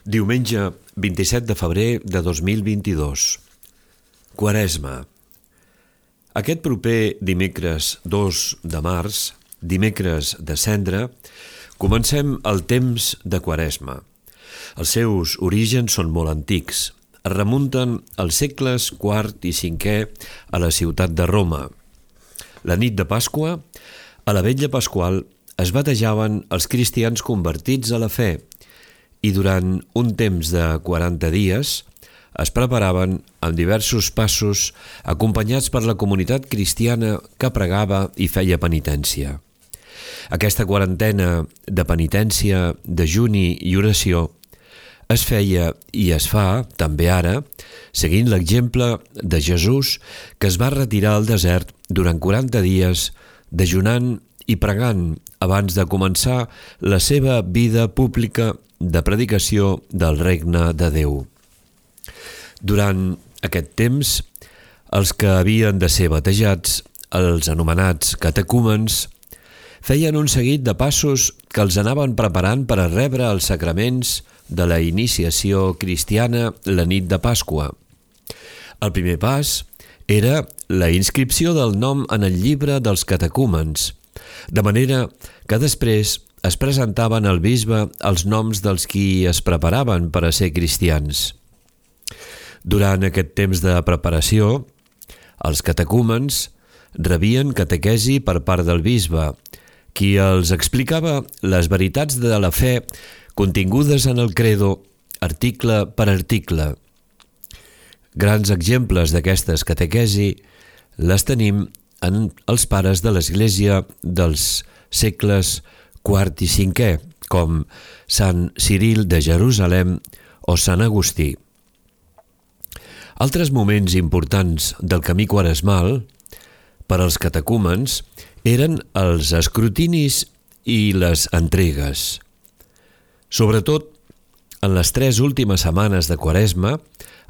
Diumenge 27 de febrer de 2022. Quaresma. Aquest proper dimecres 2 de març, dimecres de Cendra, comencem el temps de Quaresma. Els seus orígens són molt antics. Es remunten als segles IV i V a la ciutat de Roma. La nit de Pasqua, a la vetlla pasqual, es batejaven els cristians convertits a la fe i durant un temps de 40 dies es preparaven amb diversos passos acompanyats per la comunitat cristiana que pregava i feia penitència. Aquesta quarantena de penitència, dejuni i oració es feia i es fa, també ara, seguint l'exemple de Jesús, que es va retirar al desert durant 40 dies, dejunant i pregant abans de començar la seva vida pública de predicació del regne de Déu. Durant aquest temps, els que havien de ser batejats, els anomenats catecúmens, feien un seguit de passos que els anaven preparant per a rebre els sacraments de la iniciació cristiana la nit de Pasqua. El primer pas era la inscripció del nom en el llibre dels catecúmens, de manera que després es presentaven al bisbe els noms dels qui es preparaven per a ser cristians. Durant aquest temps de preparació, els catecúmens rebien catequesi per part del bisbe, qui els explicava les veritats de la fe contingudes en el credo, article per article. Grans exemples d'aquestes catequesi les tenim en els pares de l'Església dels segles IV i V, com Sant Ciril de Jerusalem o Sant Agustí. Altres moments importants del camí quaresmal per als catecúmens eren els escrutinis i les entregues. Sobretot, en les 3 últimes setmanes de Quaresma,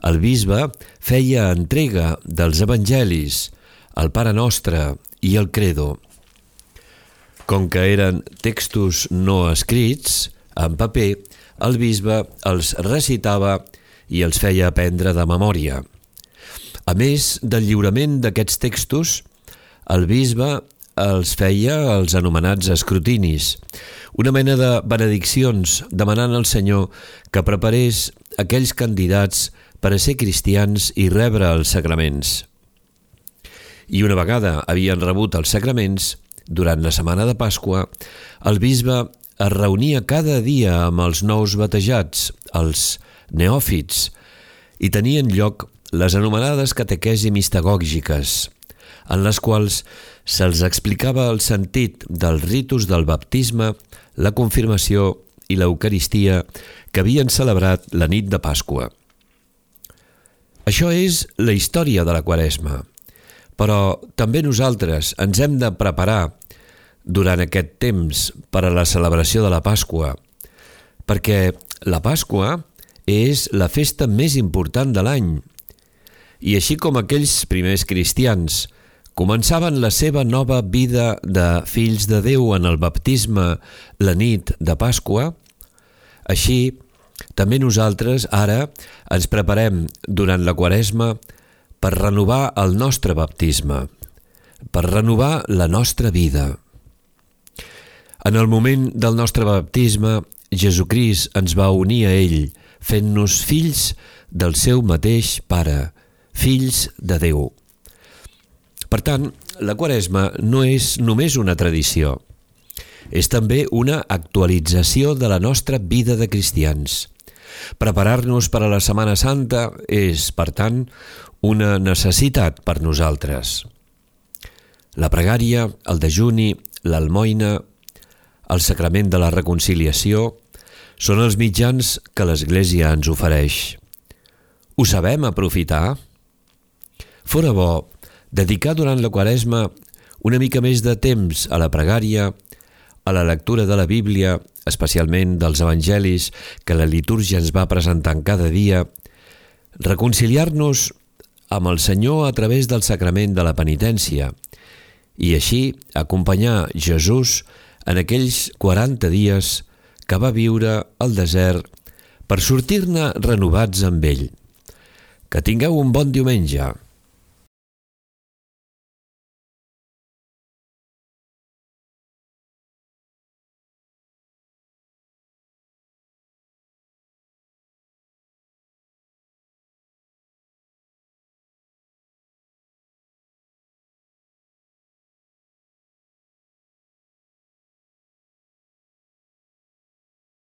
el bisbe feia entrega dels evangelis, el Pare Nostre i el Credo. Com que eren textos no escrits, en paper, el bisbe els recitava i els feia aprendre de memòria. A més del lliurament d'aquests textos, el bisbe els feia els anomenats escrutinis, una mena de benediccions demanant al Senyor que preparés aquells candidats per a ser cristians i rebre els sacraments. I una vegada havien rebut els sacraments, durant la setmana de Pasqua, el bisbe es reunia cada dia amb els nous batejats, els neòfits, i tenien lloc les anomenades catequesi mistagògiques, en les quals se'ls explicava el sentit dels ritus del baptisme, la confirmació i l'Eucaristia que havien celebrat la nit de Pasqua. Això és la història de la Quaresma, però també nosaltres ens hem de preparar durant aquest temps per a la celebració de la Pasqua, perquè la Pasqua és la festa més important de l'any, i així com aquells primers cristians començaven la seva nova vida de fills de Déu en el baptisme la nit de Pasqua, així també nosaltres ara ens preparem durant la Quaresma per renovar el nostre baptisme, per renovar la nostra vida. En el moment del nostre baptisme, Jesucrist ens va unir a ell, fent-nos fills del seu mateix Pare, fills de Déu. Per tant, la Quaresma no és només una tradició, és també una actualització de la nostra vida de cristians. Preparar-nos per a la Setmana Santa és, per tant, una necessitat per nosaltres. La pregària, el dejuni, l'almoina, el sacrament de la reconciliació són els mitjans que l'Església ens ofereix. Ho sabem aprofitar? Fora bo dedicar durant la Quaresma una mica més de temps a la pregària, a la lectura de la Bíblia, especialment dels evangelis que la litúrgia ens va presentant cada dia, reconciliar-nos amb el Senyor a través del sacrament de la penitència i així acompanyar Jesús en aquells 40 dies que va viure al desert per sortir-ne renovats amb ell. Que tingueu un bon diumenge.